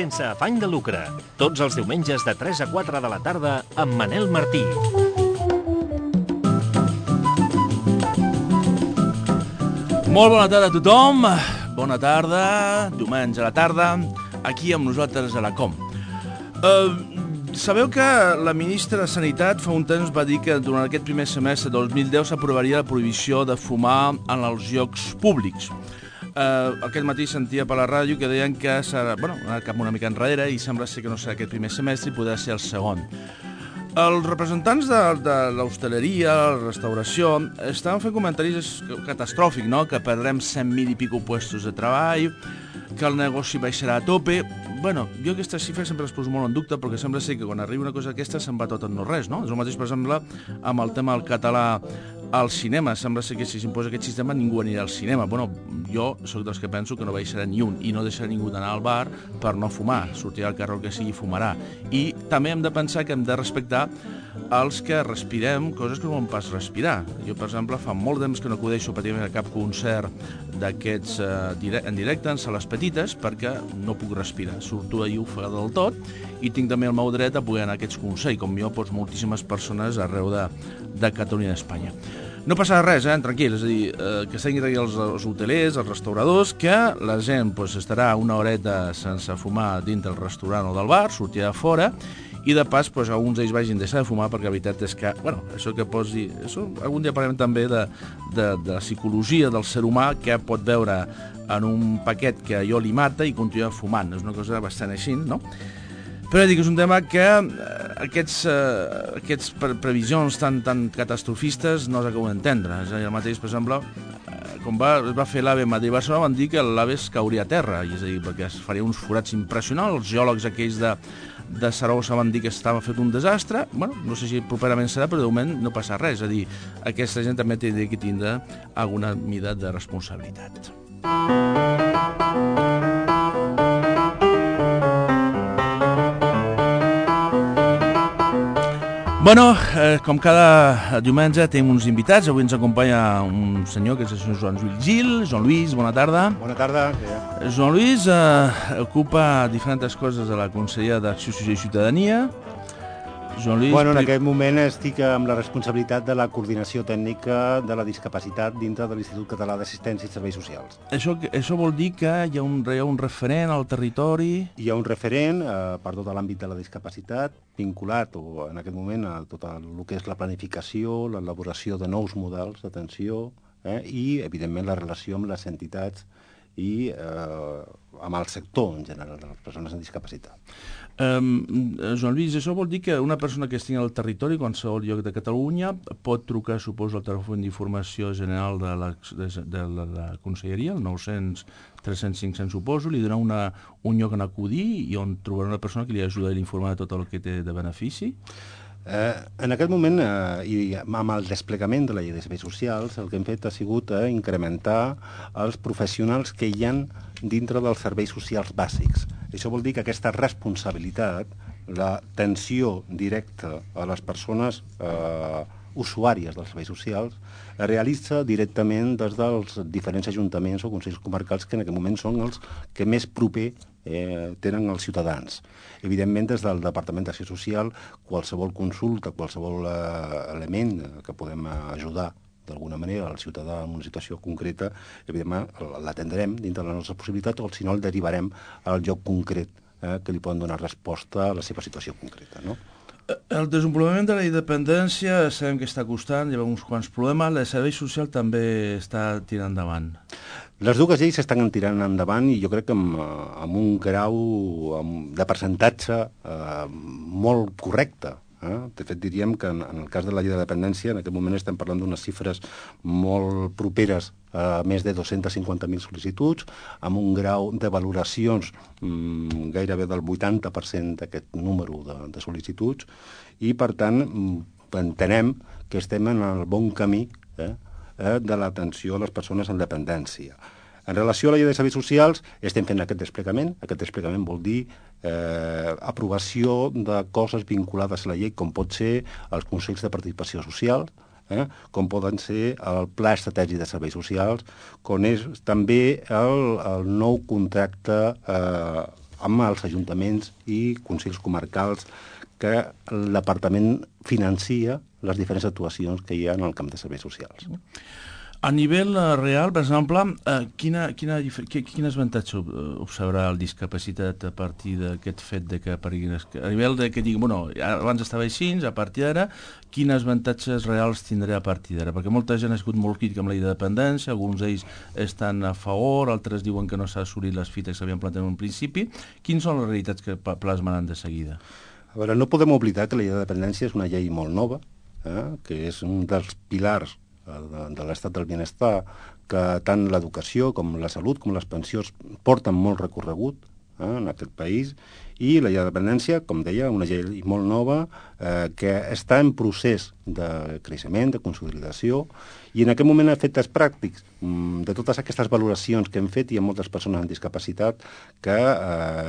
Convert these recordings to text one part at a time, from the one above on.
sense afany de lucre. Tots els diumenges de 3 a 4 de la tarda amb Manel Martí. Molt bona tarda a tothom. Bona tarda, diumenge a la tarda, aquí amb nosaltres a la COM. Sabeu que la ministra de Sanitat fa un temps va dir que durant aquest primer semestre de 2010 s'aprovaria la prohibició de fumar en els llocs públics. Aquest matí sentia per la ràdio que deien que serà, anar cap una mica enrere i sembla ser que no serà aquest primer semestre i podrà ser el segon. Els representants de l'hostaleria, la restauració, estaven fent comentaris catastròfics, no? Que perdrem 100.000 i pico puestos de treball, que el negoci baixarà a tope. Jo aquestes xifres sempre les poso molt en dubte perquè sembla ser que quan arriba una cosa d'aquesta se'n va tot en no res, no? És el mateix, per exemple, amb el tema del català al cinema. Sembla ser que si s'imposa aquest sistema ningú anirà al cinema. Jo sóc dels que penso que no baixarà ni un i no deixarà ningú d'anar al bar per no fumar. Sortirà al carrer que sigui i fumarà. I també hem de pensar que hem de respectar els que respirem coses que no volen pas respirar. Jo, per exemple, fa molt temps que no acudeixo pràcticament a cap concert d'aquests en directe, en sales petites, perquè no puc respirar. Surto ahir ofegat del tot i tinc també el meu dret a poder anar a aquests concerts, com jo, moltíssimes persones arreu de Catalunya i d'Espanya. No passarà res, tranquil, és a dir, que estiguin aquí els hotelers, els restauradors, que la gent estarà una horeta sense fumar dintre del restaurant o del bar, sortirà a fora, i de pas alguns d'ells vagin a deixar de fumar perquè la veritat és que, això que posi... Algun dia parlem també de la psicologia del ser humà que pot veure en un paquet que allò li mata i continua fumant. És una cosa bastant així, no? Però dic, és un tema que aquests previsions tan catastrofistes no s'acaben d'entendre. És a dir, el mateix, per exemple, quan es va fer l'AVE Madrid-Barcelona van dir que l'AVE es cauria a terra, és a dir, perquè es faria uns forats impressionants. Els geòlegs aquells de Saragossa van dir que estava fet un desastre. No sé si properament serà, però de moment no passa res. És a dir, aquesta gent també té que tindre alguna mida de responsabilitat. Com cada diumenge tenim uns invitats. Avui ens acompanya un senyor que és el senyor Joan Lluís Gil. Joan Lluís, bona tarda. Bona tarda. Joan Lluís ocupa diferents coses a la Conselleria d'Acció Social i Ciutadania. Joan Lluís... En aquest moment estic amb la responsabilitat de la coordinació tècnica de la discapacitat dintre de l'Institut Català d'Assistència i Serveis Socials. Això vol dir que hi ha un referent al territori... Hi ha un referent per tot l'àmbit de la discapacitat, vinculat en aquest moment a tot el que és la planificació, l'elaboració de nous models d'atenció i, evidentment, la relació amb les entitats i amb el sector en general de les persones amb discapacitat. Joan Lluís, això vol dir que una persona que estigui al territori, a qualsevol lloc de Catalunya, pot trucar, suposo, al telèfon d'informació general de la Conselleria, el 900 300 500, suposo, li donar un lloc on acudir i on trobarà una persona que li ajuda a informar de tot el que té de benefici? En aquest moment, i amb el desplegament de la llei de serveis socials, el que hem fet ha sigut incrementar els professionals que hi ha dintre dels serveis socials bàsics. Això vol dir que aquesta responsabilitat, l'atenció directa a les persones usuàries dels serveis socials, es realitza directament des dels diferents ajuntaments o consells comarcals que en aquest moment són els que més proper tenen els ciutadans. Evidentment, des del Departament d'Acció Social, qualsevol consulta, qualsevol element que podem ajudar d'alguna manera al ciutadà en una situació concreta, evidentment l'atendrem dintre de les nostres possibilitats o si no el derivarem al lloc concret que li poden donar resposta a la seva situació concreta, no? El desenvolupament de la independència sabem que està costant, hi ha uns quants problemes, el servei social també està tirant endavant. Les dues lleis s'estan tirant endavant i jo crec que amb un grau de percentatge molt correcte. De fet, diríem que en el cas de la llei de dependència, en aquest moment estem parlant d'unes xifres molt properes a més de 250.000 sol·licituds, amb un grau de valoracions gairebé del 80% d'aquest número de sol·licituds, i, per tant, entenem que estem en el bon camí de l'atenció a les persones amb dependència. En relació a la llei de serveis socials, estem fent aquest desplegament. Aquest desplegament vol dir aprovació de coses vinculades a la llei, com pot ser els consells de participació social, com poden ser el Pla Estratègic de Serveis Socials, com és també el nou contracte amb els ajuntaments i consells comarcals que l'apartament financia les diferents actuacions que hi ha en el camp de serveis socials. A nivell real, per exemple, quin avantatge observarà el discapacitat a partir d'aquest fet de que apareguin... A nivell de que digui, bueno, abans estava així, a partir d'ara, quins avantatges reals tindré a partir d'ara? Perquè molta gent ha sigut molt crítica amb la llei de dependència, alguns d'ells estan a favor, altres diuen que no s'ha assolit les fites que s'havien plantat en un principi. Quines són les realitats que plasmaran de seguida? A veure, no podem oblidar que la llei de dependència és una llei molt nova, que és un dels pilars de l'estat del benestar, que tant l'educació com la salut com les pensions porten molt recorregut en aquest país, i la llei de dependència, com deia, una llei molt nova que està en procés de creixement, de consolidació, i en aquest moment efectes pràctics de totes aquestes valoracions que hem fet, hi ha moltes persones amb discapacitat que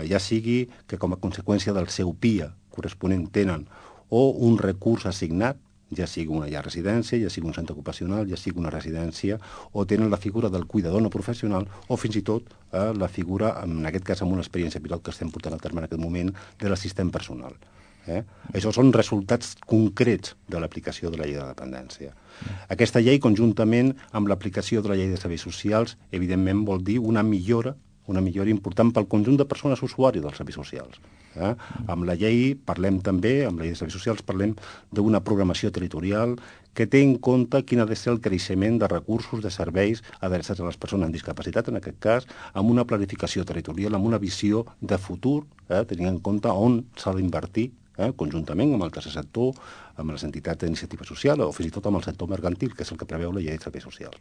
ja sigui que com a conseqüència del seu PIA corresponent tenen o un recurs assignat, ja sigui una llar residència, ja sigui un centre ocupacional, ja sigui una residència, o tenen la figura del cuidador no professional, o fins i tot la figura, en aquest cas amb una experiència pilot que estem portant a terme en aquest moment, de l'assistent personal. Això són resultats concrets de l'aplicació de la llei de dependència. Aquesta llei, conjuntament amb l'aplicació de la llei de serveis socials, evidentment vol dir una millora important pel conjunt de persones usuàries dels serveis socials. Amb la llei parlem també, amb la llei de serveis socials, parlem d'una programació territorial que té en compte quin ha de ser el creixement de recursos, de serveis adreçats a les persones amb discapacitat, en aquest cas, amb una planificació territorial, amb una visió de futur, tenint en compte on s'ha d'invertir, conjuntament amb el tercer sector, amb les entitats d'iniciativa social o fins i tot amb el sector mercantil, que és el que preveu la llei de serveis socials.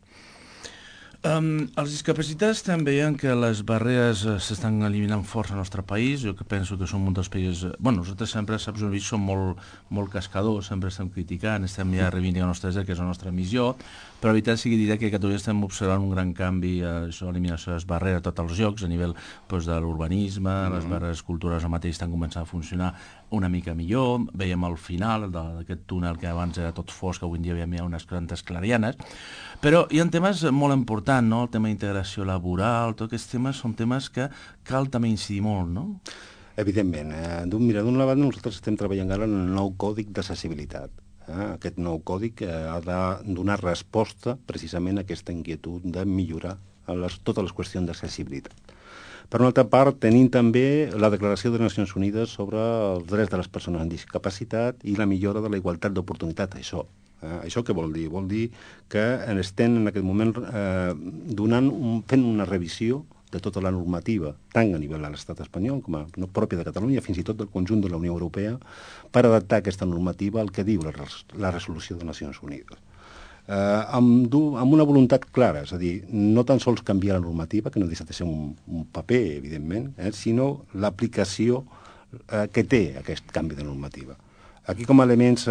Els discapacitats també veien que les barreres s'estan eliminant força al nostre país. Jo que penso que som un dels països... Bueno, nosaltres sempre, saps, som molt cascadors, sempre estem criticant, estem ja reivindicant els nostres drets, que és la nostra missió, però la veritat sigui dir que a Catalunya estem observant un gran canvi, l'eliminació de les barreres a tots els llocs, a nivell de l'urbanisme, les barreres culturals mateix estan començant a funcionar una mica millor. Veiem al final d'aquest túnel que abans era tot fosc, que avui en dia veiem ja unes quantes clarianes, però hi ha temes molt importants, no? El tema d'integració laboral, tots aquests temes són temes que cal també incidir molt, no? Evidentment. Mira, d'una banda nosaltres estem treballant ara en el nou còdic d'accessibilitat. Aquest nou còdic ha de donar resposta precisament a aquesta inquietud de millorar totes les qüestions d'accessibilitat. Per una altra part, tenim també la Declaració de les Nacions Unides sobre els drets de les persones amb discapacitat i la millora de la igualtat d'oportunitat. Això què vol dir? Vol dir que estem en aquest moment fent una revisió de tota la normativa, tant a nivell de l'estat espanyol com a pròpia de Catalunya, fins i tot del conjunt de la Unió Europea, per adaptar aquesta normativa al que diu la resolució de Nacions Unides. Amb una voluntat clara, és a dir, no tan sols canviar la normativa, que no deixa de ser un paper, evidentment, sinó l'aplicació que té aquest canvi de normativa. Aquí, com a elements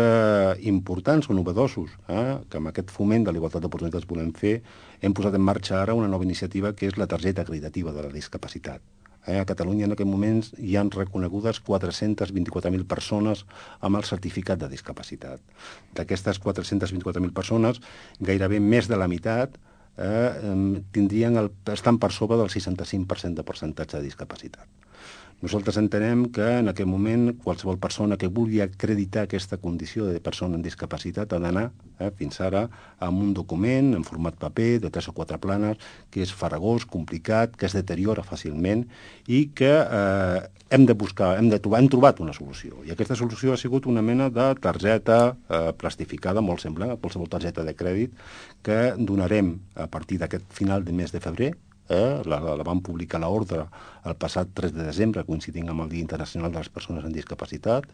importants o novedosos, que amb aquest foment de la igualtat d'oportunitats volem fer, hem posat en marxa ara una nova iniciativa que és la targeta acreditativa de la discapacitat. A Catalunya en aquest moment hi han reconegudes 424.000 persones amb el certificat de discapacitat. D'aquestes 424.000 persones, gairebé més de la meitat estan per sobre del 65% de percentatge de discapacitat. Nosaltres entenem que en aquest moment qualsevol persona que vulgui acreditar aquesta condició de persona amb discapacitat ha d'anar fins ara amb un document en format paper de 3 o 4 planes que és farragós, complicat, que es deteriora fàcilment i que hem trobat una solució. I aquesta solució ha sigut una mena de targeta plastificada, molt semblant a qualsevol targeta de crèdit, que donarem a partir d'aquest final de mes de febrer. La vam publicar a l'ordre el passat 3 de desembre, coincidint amb el Dia Internacional de les Persones amb Discapacitat.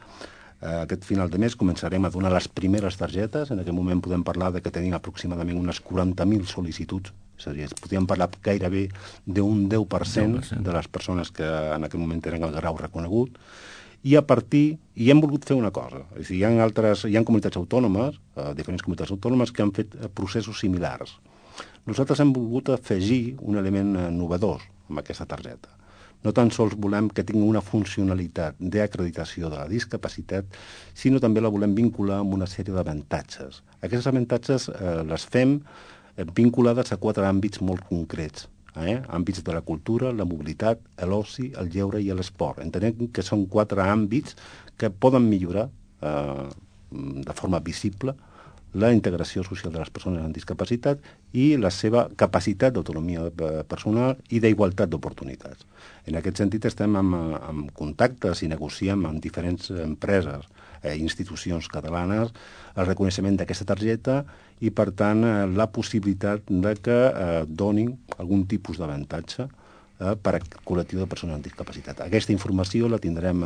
Aquest final de mes començarem a donar les primeres targetes. En aquest moment podem parlar de que tenim aproximadament unes 40.000 sol·licituds. És a dir, podríem parlar gairebé d'un 10% de les persones que en aquest moment tenen el grau reconegut. I hem volgut fer una cosa. És a dir, hi ha comunitats autònomes, diferents comunitats autònomes, que han fet processos similars. Nosaltres hem volgut afegir un element novedós amb aquesta targeta. No tan sols volem que tingui una funcionalitat d'acreditació de la discapacitat, sinó també la volem vincular amb una sèrie d'avantatges. Aquests avantatges les fem vinculades a 4 àmbits molt concrets. àmbits de la cultura, la mobilitat, l'oci, el lleure i l'esport. Entenem que són 4 àmbits que poden millorar de forma visible la integració social de les persones amb discapacitat i la seva capacitat d'autonomia personal i d'igualtat d'oportunitats. En aquest sentit estem en contactes i negociem amb diferents empreses, institucions catalanes, el reconeixement d'aquesta targeta i, per tant, la possibilitat de que donin algun tipus d'avantatge per al col·lectiu de persones amb discapacitat. Aquesta informació la tindrem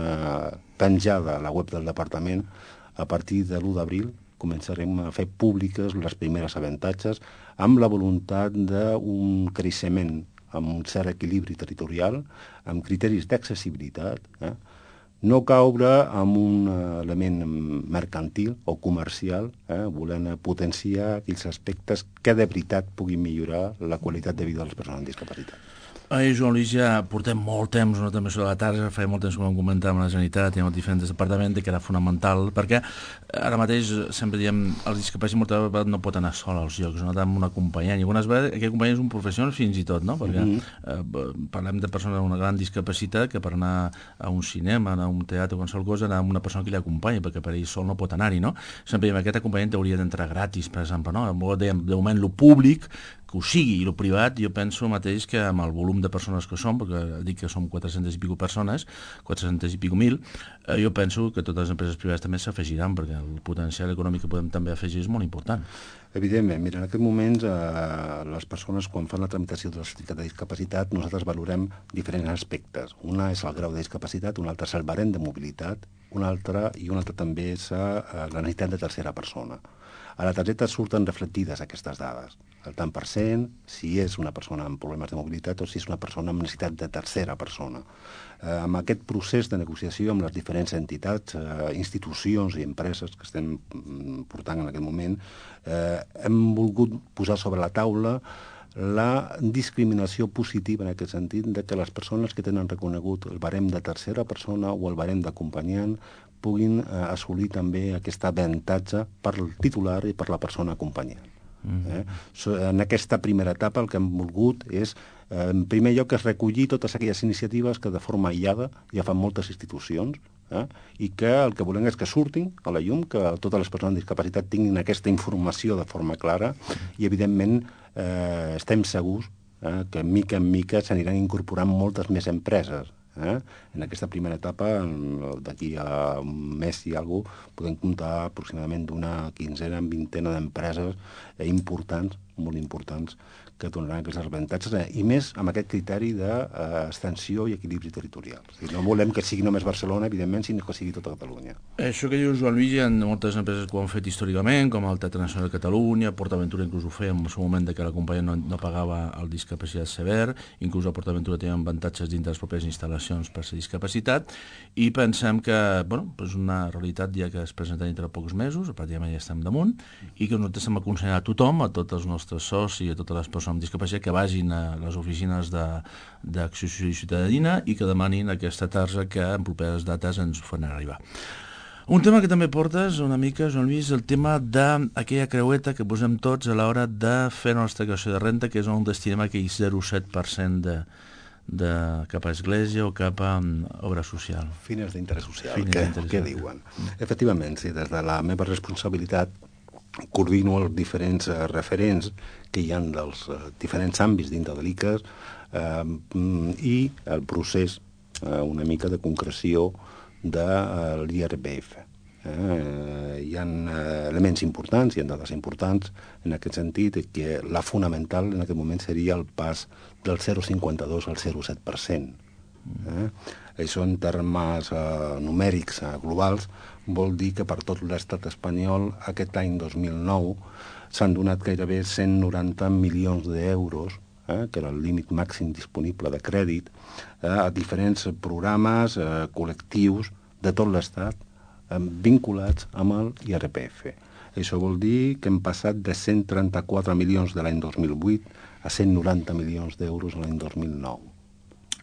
penjada a la web del departament a partir de l'1 d'abril. Començarem a fer públiques les primeres avantatges amb la voluntat d'un creixement amb un cert equilibri territorial, amb criteris d'accessibilitat, no caure en un element mercantil o comercial, volent potenciar aquells aspectes que de veritat puguin millorar la qualitat de vida de les persones amb discapacitat. Joan Lluís, ja portem molt temps, no també sobre la tarda, feia molt temps que vam comentar amb la Generalitat i amb els diferents departaments que era fonamental, perquè ara mateix sempre diem el discapacitat moltes vegades no pot anar sol als llocs, no amb un acompanyant, i algunes vegades aquest acompanyant és un professional fins i tot, no? Perquè parlem de persones amb una gran discapacitat que per anar a un cinema, anar a un teatre o qualsevol cosa, anar amb una persona que li acompanya, perquè per ell sol no pot anar-hi, no? Sempre diem aquest acompanyant hauria d'entrar gratis, per exemple, no? Dèiem, de moment, lo públic que ho sigui, i el privat, jo penso mateix que amb el volum de persones que som, perquè dic que som 400 i pico persones, 400 i pico mil, jo penso que totes les empreses privades també s'afegiran, perquè el potencial econòmic que podem també afegir és molt important. Evidentment, mira, en aquest moment les persones quan fan la tramitació del certificat de discapacitat nosaltres valorem diferents aspectes. Una és el grau de discapacitat, un altre és el barem de mobilitat, un altre també és la necessitat de tercera persona. A la targeta surten reflectides aquestes dades, el tant per cent, si és una persona amb problemes de mobilitat o si és una persona amb necessitat de tercera persona. Amb aquest procés de negociació amb les diferents entitats, institucions i empreses que estem portant en aquest moment, hem volgut posar sobre la taula la discriminació positiva en aquest sentit de que les persones que tenen reconegut el barem de tercera persona o el barem d'acompanyant puguin assolir també aquest avantatge per al titular i per la persona acompanyant. En aquesta primera etapa el que hem volgut és, en primer lloc, recollir totes aquelles iniciatives que de forma aïllada ja fan moltes institucions i que el que volem és que surtin a la llum, que totes les persones amb discapacitat tinguin aquesta informació de forma clara i, evidentment, estem segurs que mica en mica s'aniran incorporant moltes més empreses. En aquesta primera etapa, d'aquí a un mes i alguna cosa, podem comptar aproximadament d'una quinzena, vintena d'empreses importants, molt importants, que donaran aquests avantatges, i més amb aquest criteri d'extensió i equilibri territorial. No volem que sigui només Barcelona, evidentment, sinó que sigui tota Catalunya. Això que dius, Joan Lluís, hi ha moltes empreses que ho han fet històricament, com el Teatre Nacional de Catalunya, PortAventura inclús ho feia en el seu moment que l'acompanyant no pagava el discapacitat sever, inclús a PortAventura tenen avantatges dintre les pròpies instal·lacions per ser discapacitat, i pensem que és una realitat ja que es presenta dintre de pocs mesos, pràcticament ja estem damunt, i que nosaltres hem aconsellat a tothom, a tots els nostres socis i a totes les persones amb discapacitat que vagin a les oficines d'Acció Social i Ciutadania i que demanin aquesta tarja que en properes dates ens faran arribar. Un tema que també portes una mica, Joan Lluís, el tema d'aquella creueta que posem tots a l'hora de fer la nostra declaració de renta, que és on destinem aquell 0,7% cap a església o cap a obra social. Fines d'interès social, què diuen? Efectivament, sí, des de la meva responsabilitat coordino els diferents referents que hi ha dels diferents àmbits dintre de l'ICAS i el procés una mica de concreció de l'IRPF. Hi ha elements importants, hi ha dades importants en aquest sentit, que la fonamental en aquest moment seria el pas del 0,52 al 0,7%. Això en termes numèrics globals vol dir que per tot l'estat espanyol aquest any 2009 s'han donat gairebé 190 milions d'euros, que era el límit màxim disponible de crèdit, a diferents programes, col·lectius de tot l'estat vinculats amb el IRPF. Això vol dir que hem passat de 134 milions de l'any 2008 a 190 milions d'euros l'any 2009.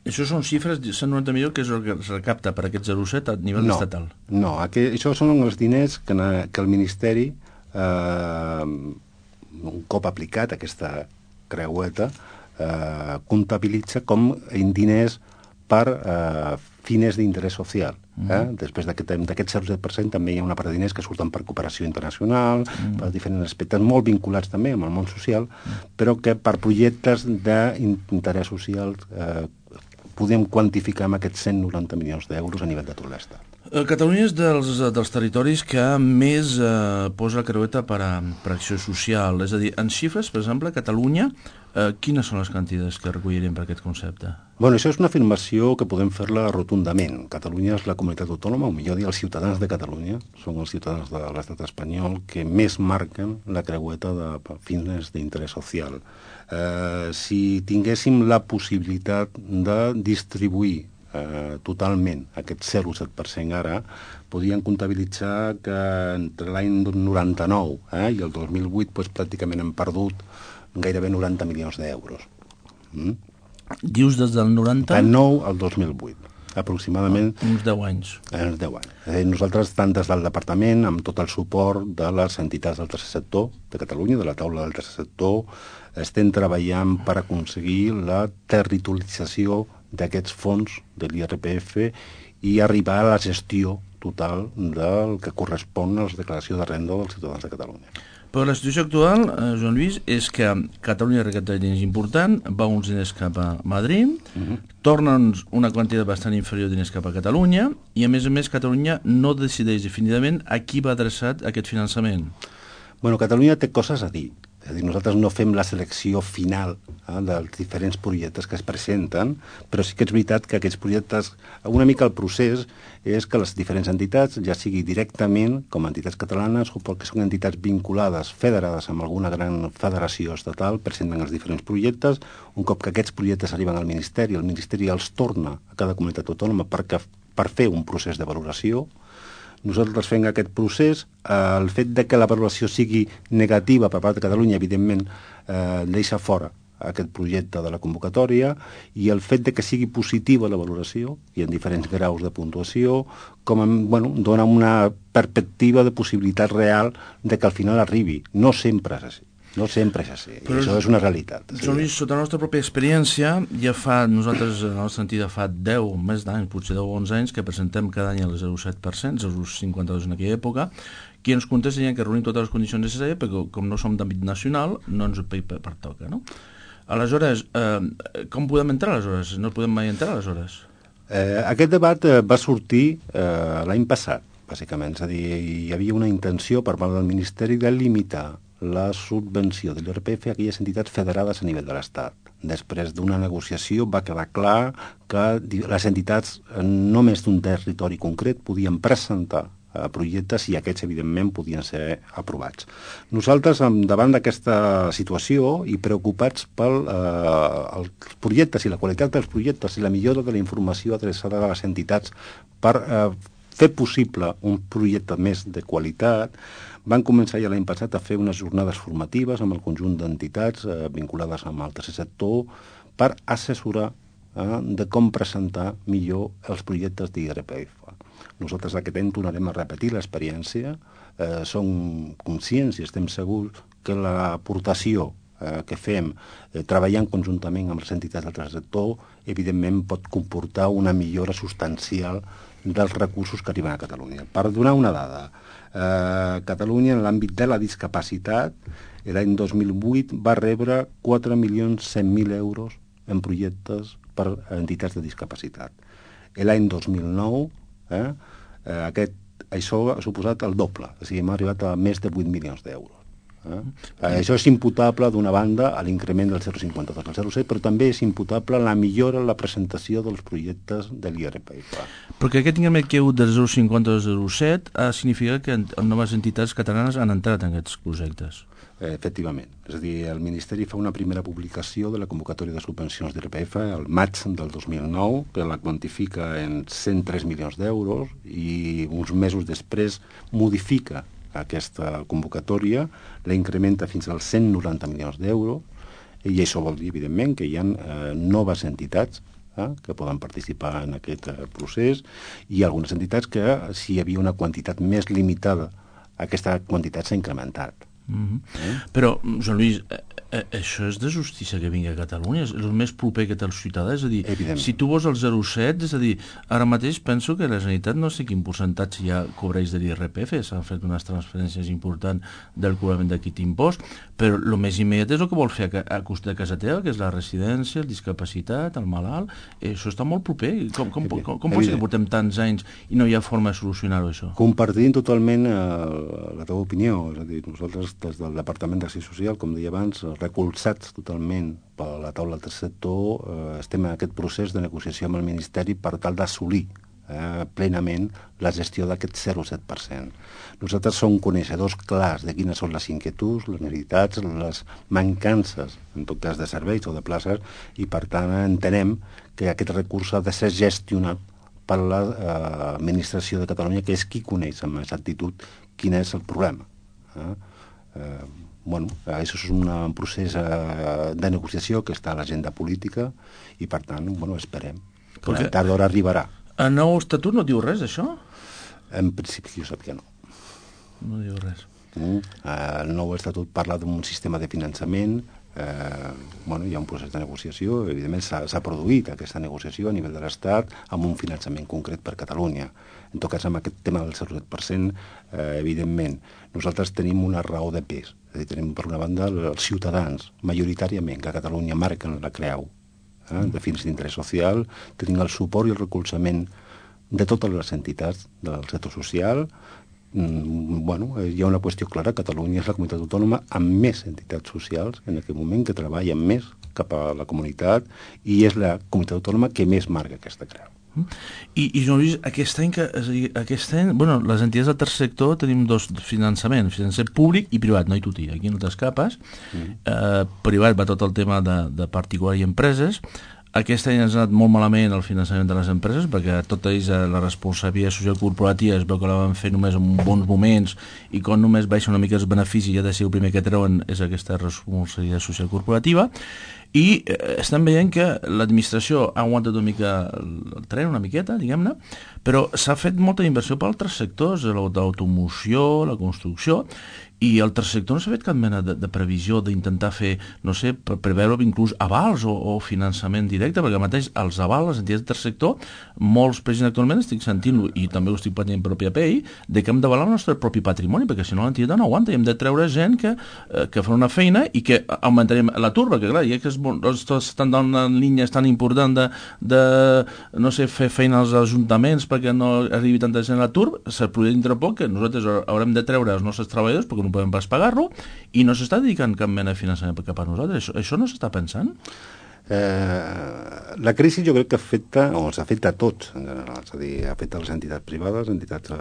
Això són xifres, 190 milions, que és el que es recapta per aquest 0,7 a nivell estatal? No, això són els diners que el Ministeri, un cop aplicat aquesta creueta, comptabilitza com diners per fines d'interès social. Després d'aquest 0,7% també hi ha una part de diners que surten per cooperació internacional, per diferents aspectes molt vinculats també amb el món social, però que per projectes d'interès social podem quantificar amb aquests 190 milions d'euros a nivell de tot l'Estat. Catalunya és dels territoris que més posa la creueta per acció social. És a dir, en xifres, per exemple, a Catalunya, quines són les quantitats que recollirem per aquest concepte? Bueno, això és una afirmació que podem fer-la rotundament. Catalunya és la comunitat autònoma, o millor dir, els ciutadans de Catalunya, són els ciutadans de l'estat espanyol que més marquen la creueta de fines d'interès social. Si tinguéssim la possibilitat de distribuir totalment aquest 0,7% ara, podien comptabilitzar que entre l'any 99 i el 2008 pràcticament hem perdut gairebé 90 milions d'euros. Dius des del 90? De 9 al 2008, aproximadament. Uns 10 anys. Uns 10 anys. Nosaltres, tant des del departament, amb tot el suport de les entitats del tercer sector de Catalunya, de la taula del tercer sector, estem treballant per aconseguir la territorialització d'aquests fons de l'IRPF i arribar a la gestió total del que correspon a la declaració de renda dels ciutadans de Catalunya. Però la situació actual, Joan Lluís, és que Catalunya recapta diners important, va uns diners cap a Madrid, tornen una quantitat bastant inferior de diners cap a Catalunya, i a més Catalunya no decideix definitivament a qui va adreçat aquest finançament. Bueno, Catalunya té coses a dir. És a dir, nosaltres no fem la selecció final dels diferents projectes que es presenten, però sí que és veritat que aquests projectes, una mica el procés és que les diferents entitats, ja sigui directament com a entitats catalanes o perquè són entitats vinculades, federades amb alguna gran federació estatal, presenten els diferents projectes. Un cop que aquests projectes arriben al Ministeri, el Ministeri els torna a cada comunitat autònoma per fer un procés de valoració. Nosaltres fem aquest procés, el fet de que la valoració sigui negativa per part de Catalunya, evidentment, deixa fora aquest projecte de la convocatòria, i el fet de que sigui positiva la valoració, i en diferents graus de puntuació, dona una perspectiva de possibilitat real de que al final arribi. No sempre és així. No sempre és així, i això és una realitat. Joan Lluís, sota la nostra pròpia experiència, nosaltres, la nostra entitat fa 10, més d'anys, potser 10 o 11 anys, que presentem cada any el 0,7%, 0,52 en aquella època, qui ens contesta que reunim totes les condicions necessàries, perquè com no som d'àmbit nacional, no ens ho pertoca, no? Aleshores, com podem entrar, aleshores? No podem mai entrar, aleshores? Aquest debat va sortir l'any passat, bàsicament. És a dir, hi havia una intenció per part del Ministeri de limitar la subvenció de l'IRPF a aquelles entitats federades a nivell de l'Estat. Després d'una negociació va quedar clar que les entitats només d'un territori concret podien presentar projectes i aquests, evidentment, podien ser aprovats. Nosaltres, davant d'aquesta situació i preocupats pels projectes i la qualitat dels projectes i la millora de la informació adreçada a les entitats per fer possible un projecte més de qualitat, van començar ja l'any passat a fer unes jornades formatives amb el conjunt d'entitats vinculades amb el tercer sector per assessorar de com presentar millor els projectes d'IRPF. Nosaltres aquest any tornarem a repetir l'experiència. Som conscients i estem segurs que l'aportació que fem treballant conjuntament amb les entitats del tercer sector, evidentment pot comportar una millora substancial dels recursos que arriben a Catalunya. Per donar una dada, Catalunya, en l'àmbit de la discapacitat, l'any 2008 va rebre 4.100.000 euros en projectes per entitats de discapacitat. L'any 2009, això ha suposat el doble, o sigui, hem arribat a més de 8 milions d'euros. Això és imputable, d'una banda, a l'increment del 0,52 al 0,7, però també és imputable la millora en la presentació dels projectes de l'IRPF. Perquè aquest increment que hi ha hagut del 0,50 al 0,7 significa que noves entitats catalanes han entrat en aquests projectes. Efectivament. És a dir, el Ministeri fa una primera publicació de la convocatòria de subvencions d'IRPF al maig del 2009, que la quantifica en 103 milions d'euros, i uns mesos després modifica aquesta convocatòria, la incrementa fins als 190 milions d'euros, i això vol dir, evidentment, que hi ha noves entitats que poden participar en aquest procés, i algunes entitats que, si hi havia una quantitat més limitada, aquesta quantitat s'ha incrementat. Però, Joan Lluís, Això és de justícia que vingui a Catalunya, és el més proper que té el ciutadà, és a dir, Evidentment. si tu vols el 0,7, és a dir, ara mateix penso que la Generalitat no sé quin percentatge ja cobreix de l'IRPF, s'han fet unes transferències importants del cobrament d'aquest impost, però el més immediat és el que vol fer a cost de casa teva, que és la residència, el discapacitat, el malalt, això està molt proper. Com pot ser que portem tants anys i no hi ha forma de solucionar-ho, això? Compartint totalment la teva opinió, és a dir, nosaltres des del Departament d'Acció Social, com deia abans, recolzats totalment per la taula del tercer sector, estem en aquest procés de negociació amb el Ministeri per tal d'assolir plenament la gestió d'aquest 0,7%. Nosaltres som coneixedors clars de quines són les inquietuds, les necessitats, les mancances, en tot cas de serveis o de places, i per tant entenem que aquest recurs ha de ser gestionat per l'administració de Catalunya, que és qui coneix amb exactitud quin és el problema. Això és un procés de negociació que està a l'agenda política i, per tant, esperem que tard o d'hora arribarà. El nou estatut no diu res, això? En principi, jo sap que no. No diu res. El nou estatut parla d'un sistema de finançament, hi ha un procés de negociació, evidentment s'ha produït aquesta negociació a nivell de l'Estat amb un finançament concret per Catalunya. En tot cas, amb aquest tema del 0,7%, evidentment, nosaltres tenim una raó de pes. És a dir, tenim, per una banda, els ciutadans, majoritàriament, que a Catalunya marquen la creu de fins d'interès social, tenim el suport i el recolzament de totes les entitats del sector social. Hi ha una qüestió clara: Catalunya és la comunitat autònoma amb més entitats socials en aquest moment, que treballen més cap a la comunitat, i és la comunitat autònoma que més marca aquesta creu. I Joan Lluís, aquest any, les entitats del tercer sector tenim dos finançaments, financer públic i privat, no hi tuti, aquí no t'escapes. Privat va tot el tema de particular i empreses. Aquest any ens ha anat molt malament el finançament de les empreses, perquè tot ells la responsabilitat social corporativa es veu que la van fer només en bons moments, i quan només baixa una mica els beneficis ja de ser el primer que treuen és aquesta responsabilitat social corporativa. I estem veient que l'administració ha aguantat una mica el tren, una miqueta, diguem-ne, però s'ha fet molta inversió per altres sectors, l'automoció, la construcció, i el tercer sector no s'ha fet cap mena de previsió d'intentar fer, no sé, preveure inclús avals o finançament directe, perquè mateix els avals, les entitats del tercer sector, molts presidents actualment estic sentint-lo, i també ho estic patint per PAPI, de que hem d'avalar el nostre propi patrimoni, perquè si no l'entitat no aguanta, i hem de treure gent que fa una feina i que augmentarem l'atur, perquè clar, ja que estan en línies tan importants de no sé, fer feina als ajuntaments perquè no arribi tanta gent a l'atur, se produirà dintre poc que nosaltres haurem de treure els nostres treballadors perquè no podem pas pagar-lo, i no s'està dedicant cap mena de finançament cap a nosaltres. Això no s'està pensant? La crisi jo crec que ens afecta a tots en general, és a dir, afecta a les entitats privades, entitats a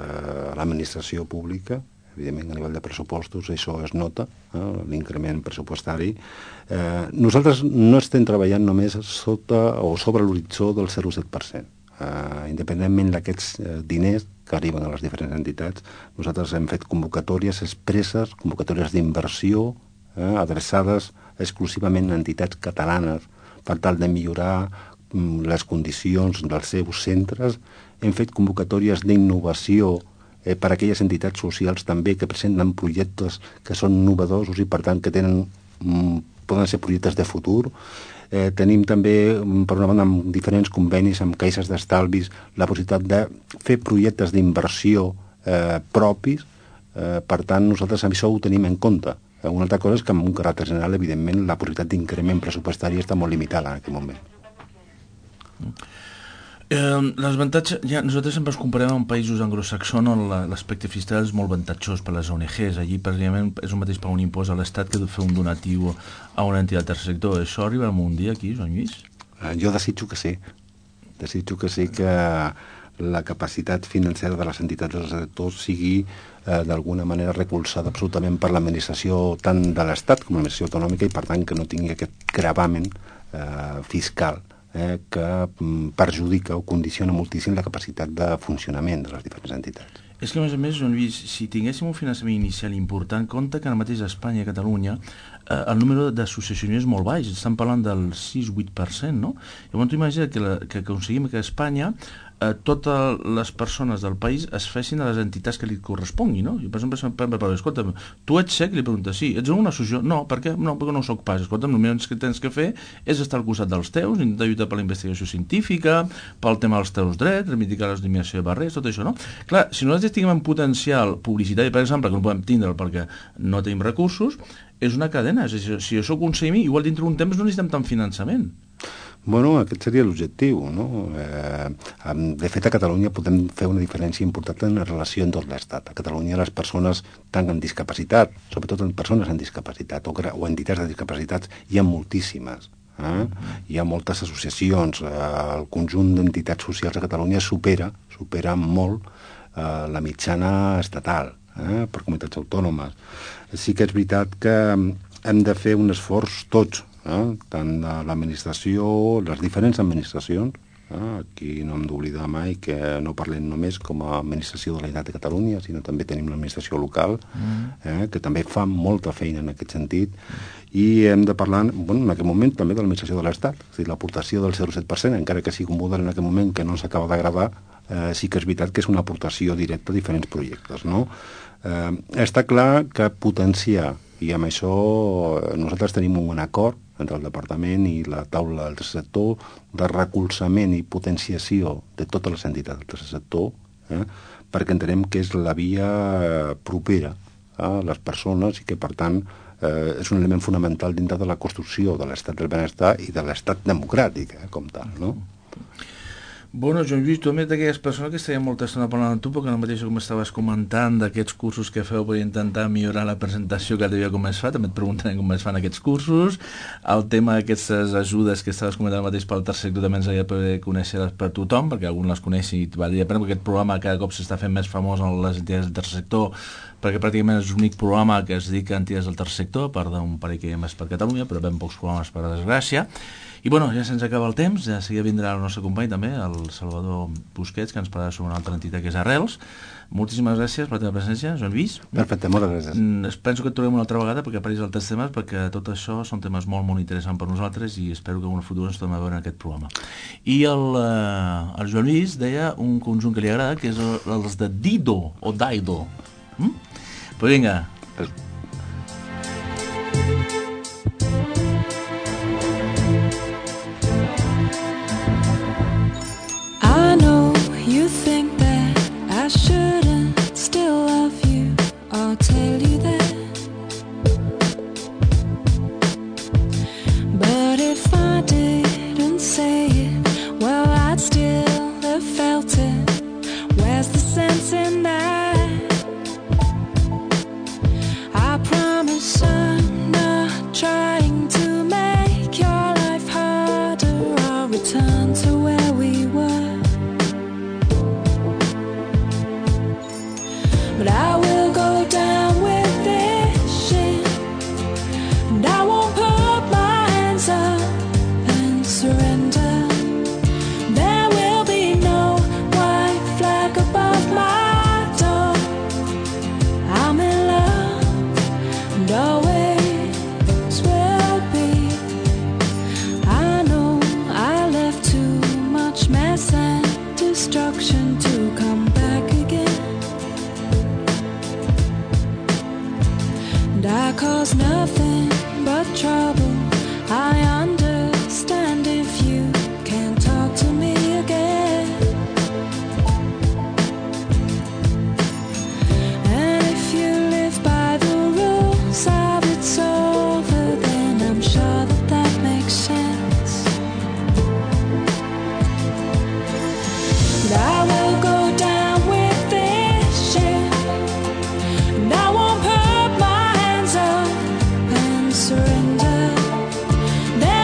l'administració pública. Evidentment, a nivell de pressupostos això es nota, l'increment pressupostari. Nosaltres no estem treballant només sobre l'horitzó del 0,7%. Independentment d'aquests diners que arriben a les diferents entitats, nosaltres hem fet convocatòries expresses, convocatòries d'inversió, adreçades exclusivament a entitats catalanes per tal de millorar les condicions dels seus centres. Hem fet convocatòries d'innovació per a aquelles entitats socials també que presenten projectes que són innovadors i per tant que poden ser projectes de futur. Tenim també, per una banda, amb diferents convenis amb caixes d'estalvis, la possibilitat de fer projectes d'inversió propis. Per tant, nosaltres això ho tenim en compte. Una altra cosa és que amb un caràcter general, evidentment, la possibilitat d'increment pressupostari està molt limitada en aquest moment. L'avantatge, nosaltres sempre ens comparem amb països anglosaxons on l'aspecte fiscal és molt avantatjós per les ONGs. Allí, precisament, és el mateix per un impost a l'Estat que de fer un donatiu a una entitat del tercer sector. Això arribarà un dia aquí, Joan Lluís? Jo desitjo que sí. Desitjo que sí, que la capacitat financera de les entitats del sector sigui d'alguna manera recolzada absolutament per l'administració tant de l'Estat com l'administració autonòmica, i per tant que no tingui aquest gravamen fiscal que perjudica o condiciona moltíssim la capacitat de funcionament de les diferents entitats. És que, a més, Joan Lluís, si tinguéssim un finançament inicial important, compte que ara mateix a Espanya i a Catalunya el número d'associacions és molt baix, estan parlant del 6-8%, no? Llavors, tu imagina que aconseguim que a Espanya totes les persones del país es fessin a les entitats que li correspongui, no? Jo, per exemple, escolta'm, tu ets cec? Li pregunta, sí. Ets en una associació? No, per què? No, perquè no ho soc pas. Escolta'm, el que tens que fer és estar al costat dels teus, intentar lluitar per la investigació científica, pel tema dels teus drets, reivindicar l'eliminació de barreres, tot això, no? Clar, si nosaltres tinguem un potencial publicitari, per exemple, que no podem tindre perquè no tenim recursos, és una cadena. És a dir, si jo soc un CMI, igual dintre d'un temps no necessitem tant finançament. Bueno, aquest seria l'objectiu, no? De fet, a Catalunya podem fer una diferència important en la relació amb tot l'Estat. A Catalunya les persones tant amb discapacitat, sobretot en persones amb discapacitat o entitats de discapacitats, hi ha moltíssimes. Hi ha moltes associacions. El conjunt d'entitats socials a Catalunya supera molt la mitjana estatal per comunitats autònomes. Sí que és veritat que hem de fer un esforç tots, tant de l'administració, les diferents administracions. Aquí no hem d'oblidar mai que no parlem només com a administració de la Generalitat de Catalunya, sinó també tenim l'administració local, que també fa molta feina en aquest sentit, i hem de parlar, en aquest moment, també de l'administració de l'Estat. És a dir, l'aportació del 0,7%, encara que sigui un model en aquest moment que no s'acaba d'agradar, sí que és veritat que és una aportació directa a diferents projectes, no? Està clar que potenciar, i amb això nosaltres tenim un acord entre el Departament i la taula del tercer sector de recolzament i potenciació de totes les entitats del tercer sector, perquè entenem que és la via propera a les persones i que, per tant, és un element fonamental dintre de la construcció de l'estat del benestar i de l'estat democràtic, com tal, no? Bueno, Joan Lluís, tu també d'aquelles persones que estaria molta estona parlant amb tu, perquè el mateix com estaves comentant d'aquests cursos que feu per intentar millorar la presentació cada dia com es fa, també et preguntarem com es fan aquests cursos, el tema d'aquestes ajudes que estaves comentant mateix pel tercer sector també ens havia de conèixer per tothom, perquè algun les coneixi i valdria pena, perquè aquest programa cada cop s'està fent més famós en les entitats del tercer sector, perquè pràcticament és l'únic programa que es dedica a entitats del tercer sector, a part d'un parell que hi ha més per Catalunya, però ben pocs programes per desgràcia. I bueno, ja se'ns acaba el temps, ja seguida vindrà el nostre company també, el Salvador Busquets, que ens parlarà sobre una altra entitat que és Arrels. Moltíssimes gràcies per la teva presència, Joan Lluís. Perfecte, moltes gràcies. Penso que et trobem una altra vegada perquè apareix altres temes, perquè tot això són temes molt, molt interessants per nosaltres i espero que en un futur ens tornem a veure en aquest programa. I el Joan Lluís deia un conjunt que li agrada, que és els de Dido o Daido. Però vinga. I know you think that I shouldn't still love you or tell you that, but if I didn't say it, well, I'd still have felt it. Where's the sense in that? I promise I'm not trying to make your life harder or return to where we were. But I will go down with this shit, and I won't put my hands up and surrender. There will be no white flag above my door. I'm in love and always will be. I know I left too much mess and destruction to come back again. And I cause nothing but trouble. I understand if you can't talk to me again. And if you live by the rules of it's over, then I'm sure that that makes sense. And I will go down with this shit, and I won't put my hands up and surrender. There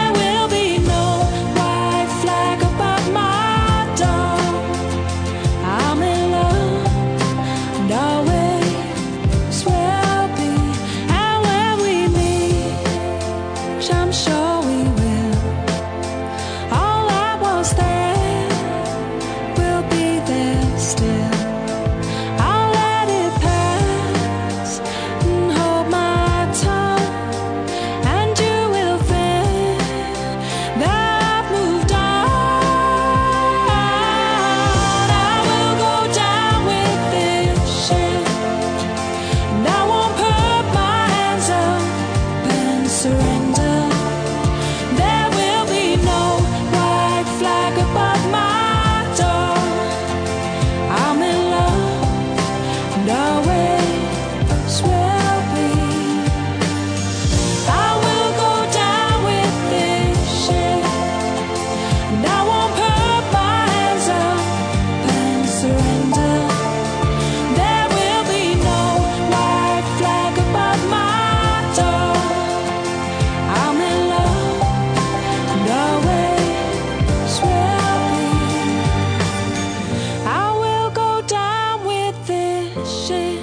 wishing,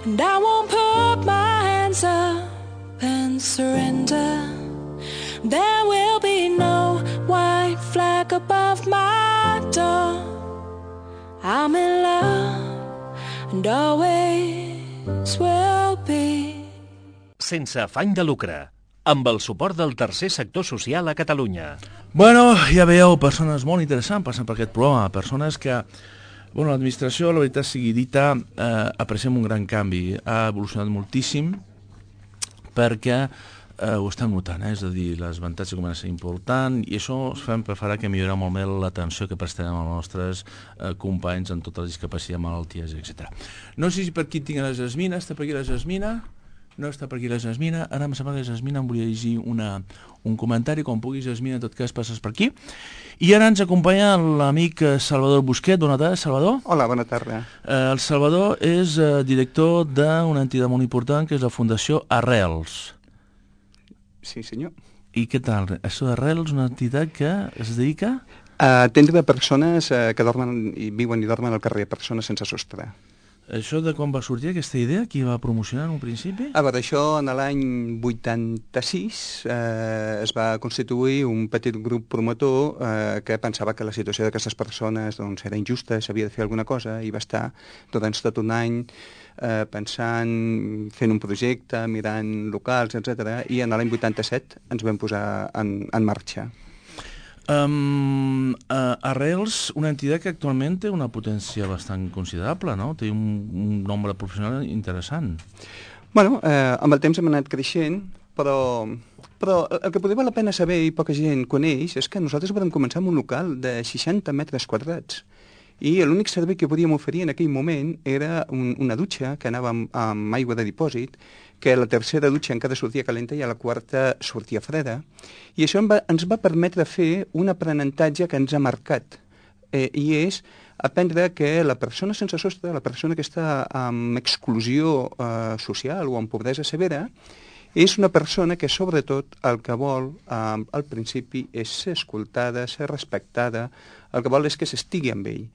and I won't put my hands up and surrender. There will be no white flag above my door. I'm in love and always will be. Sense afany de lucre, amb el suport del tercer sector social a Catalunya. Bueno, ja veieu, persones molt interessants passant per aquest programa, persones que... Bueno, l'administració, la veritat sigui dita, apreciem un gran canvi. Ha evolucionat moltíssim perquè ho estem notant, és a dir, les avantatges comencen a ser important i això farà que millorarà molt més l'atenció que prestarem als nostres companys en totes les discapacitats, malalties, etc. No sé si per aquí tinc la Jasmina, està per aquí la Jasmina? No està per aquí la Jasmina. Ara em sembla que la Jasmina em volia llegir un comentari, quan puguis, Jasmina, en tot cas passes per aquí. I ara ens acompanya l'amic Salvador Busquet. Bona tarda, Salvador. Hola, bona tarda. El Salvador és director d'una entitat molt important que és la Fundació Arrels. Sí, senyor. I què tal? Això d'Arrels, una entitat que es dedica a atendre persones que dormen i viuen i dormen al carrer, persones sense sostre. Això de quan va sortir aquesta idea? Qui va promocionar en un principi? A veure, això en l'any 86 es va constituir un petit grup promotor que pensava que la situació d'aquestes persones doncs, era injusta, s'havia de fer alguna cosa, i va estar durant tot un any pensant, fent un projecte, mirant locals, etc. I en l'any 87 ens vam posar en marxa. Arrels, una entitat que actualment té una potència bastant considerable, no? Té un nombre professional interessant. Bueno, amb el temps hem anat creixent, però el que potser val la pena saber i poca gent coneix és que nosaltres vam començar amb un local de 60 metres quadrats. I l'únic servei que podíem oferir en aquell moment era una dutxa que anava amb aigua de dipòsit, que la tercera dutxa encara sortia calenta i a la quarta sortia freda. I això ens va permetre fer un aprenentatge que ens ha marcat, i és aprendre que la persona sense sostre, la persona que està amb exclusió social o amb pobresa severa, és una persona que sobretot el que vol al principi és ser escoltada, ser respectada, el que vol és que s'estigui amb ell.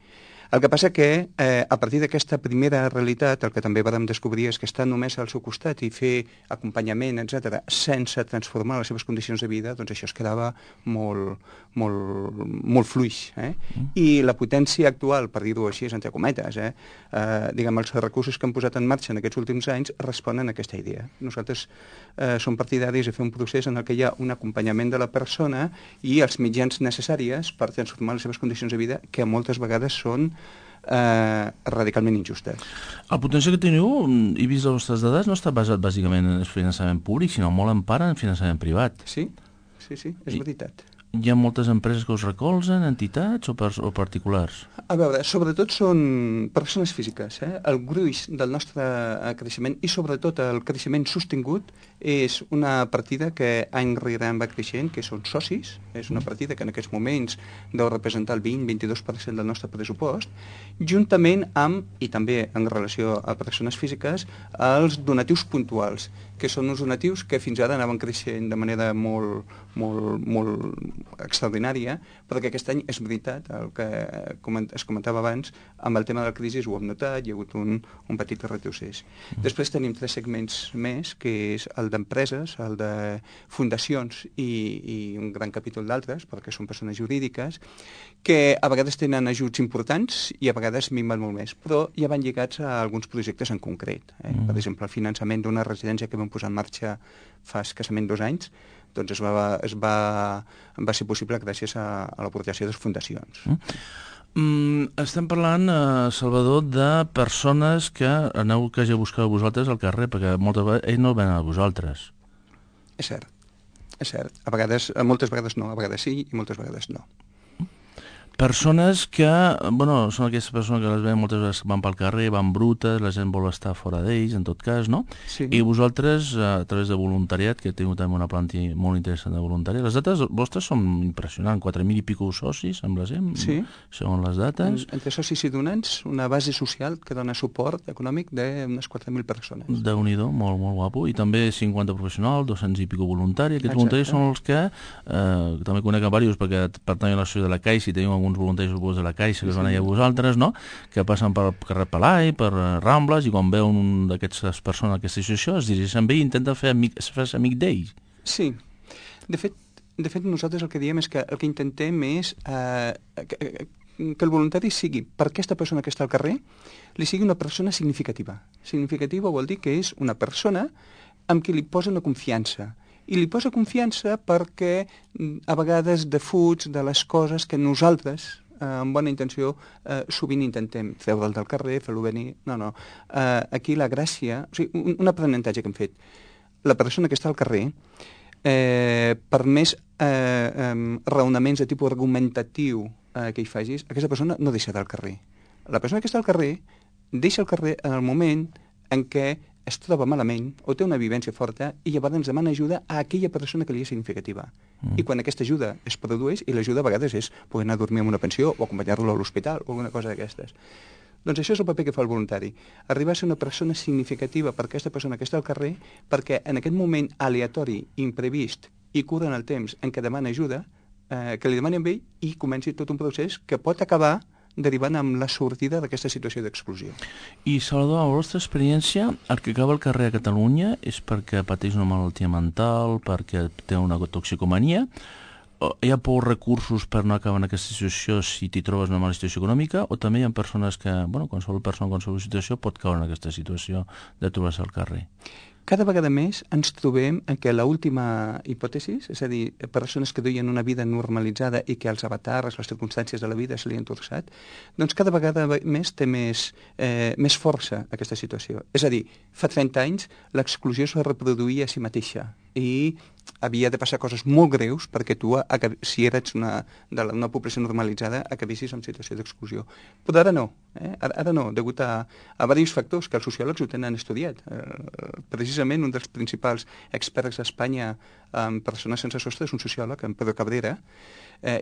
El que passa que, a partir d'aquesta primera realitat, el que també vam descobrir és que estar només al seu costat i fer acompanyament, etc., sense transformar les seves condicions de vida, doncs això es quedava molt fluix. I la potència actual, per dir-ho així, entre cometes, diguem, els recursos que hem posat en marxa en aquests últims anys responen a aquesta idea. Nosaltres som partidaris de fer un procés en el que hi ha un acompanyament de la persona i els mitjans necessaris per transformar les seves condicions de vida, que moltes vegades són radicalment injustes. El potencial que teniu, he vist les vostres dades, no està basat bàsicament en finançament públic, sinó molt en part en finançament privat. Sí, és veritat. Hi ha moltes empreses que us recolzen, entitats o particulars? A veure, sobretot són persones físiques. El gruix del nostre creixement i sobretot el creixement sostingut és una partida que any rere any va creixent, que són socis. És una partida que en aquests moments deu representar el 20-22% del nostre pressupost, juntament amb, i també en relació a persones físiques, els donatius puntuals, que són uns donatius que fins ara anaven creixent de manera molt extraordinària, però que aquest any és veritat, el que es comentava abans, amb el tema de la crisi ho hem notat, hi ha hagut un petit retrocés. Després tenim 3 segments més, que és el d'empreses, el de fundacions i un gran capítol d'altres, perquè són persones jurídiques, que a vegades tenen ajuts importants i a vegades minven molt més, però ja van lligats a alguns projectes en concret. Per exemple, el finançament d'una residència que vam posar en marxa fa escassament 2 anys, doncs va ser possible gràcies a l'aportació de les fundacions. Estem parlant, Salvador, de persones que aneu quasi a buscar a vosaltres al carrer, perquè moltes vegades ells no venen a vosaltres. És cert. Moltes vegades no, a vegades sí i moltes vegades no. Persones que, bueno, són aquestes persones que les veiem moltes vegades que van pel carrer, van brutes, la gent vol estar fora d'ells, en tot cas, no? Sí. I vosaltres, a través de voluntariat, que teniu també una plantilla molt interessant de voluntariat, les dates vostres són impressionants, 4.000 i pico socis, sembla ser, sí. Segons les dates. Entre socis i donants, una base social que dona suport econòmic d'unes 4.000 persones. Déu-n'hi-do, molt guapo. I també 50 professionals, 200 i pico voluntaris. Aquests voluntaris són els que també conec a diversos, perquè pertanyen a l'associació de la Caixa i teniu alguns voluntaris de la Caixa que us van allà a vosaltres, no? Que passen pel carrer Pelai, per Rambles, i quan veuen un d'aquestes persones en aquesta situació es dirigeixen bé i intenten fer-se amic d'ells. Sí. De fet, nosaltres el que diem és que el que intentem és que el voluntari sigui, per aquesta persona que està al carrer, li sigui una persona significativa. Significativa vol dir que és una persona amb qui li posa una confiança. I li posa confiança perquè a vegades defuig de les coses que nosaltres, amb bona intenció, sovint intentem treure'l del carrer, fer-lo venir... No. Aquí la gràcia... O sigui, un aprenentatge que hem fet. La persona que està al carrer, per més raonaments de tipus argumentatiu que hi facis, aquesta persona no deixa del carrer. La persona que està al carrer deixa el carrer en el moment en què es troba malament o té una vivència forta i llavors ens demana ajuda a aquella persona que li és significativa. I quan aquesta ajuda es produeix, i l'ajuda a vegades és poder anar a dormir en una pensió o acompanyar-lo a l'hospital o alguna cosa d'aquestes. Doncs això és el paper que fa el voluntari. Arribar a ser una persona significativa per aquesta persona que està al carrer perquè en aquest moment aleatori, imprevist i curt en el temps en què demana ajuda, que li demani a ell i comenci tot un procés que pot acabar derivant amb la sortida d'aquesta situació d'exclusió. I, Salvador, a la vostra experiència, el que acaba al carrer a Catalunya és perquè pateix una malaltia mental, perquè té una toxicomania, hi ha pocs recursos per no acabar en aquesta situació si t'hi trobes una mala situació econòmica, o també hi ha persones que, qualsevol persona en qualsevol situació pot caure en aquesta situació de trobar-se al carrer? Cada vegada més ens trobem en què l'última hipòtesi, és a dir, persones que duien una vida normalitzada i que els avatars, les circumstàncies de la vida se li han torçat, doncs cada vegada més té més força aquesta situació. És a dir, fa 30 anys l'exclusió es reproduïa a si mateixa i havia de passar coses molt greus perquè tu, si eres una població normalitzada, acabessis en situació d'exclusió. Però ara no. Ara no, degut a diversos factors que els sociòlegs ho tenen estudiat. Precisament un dels principals experts a Espanya en persones sense sostre és un sociòleg, en Pedro Cabrera,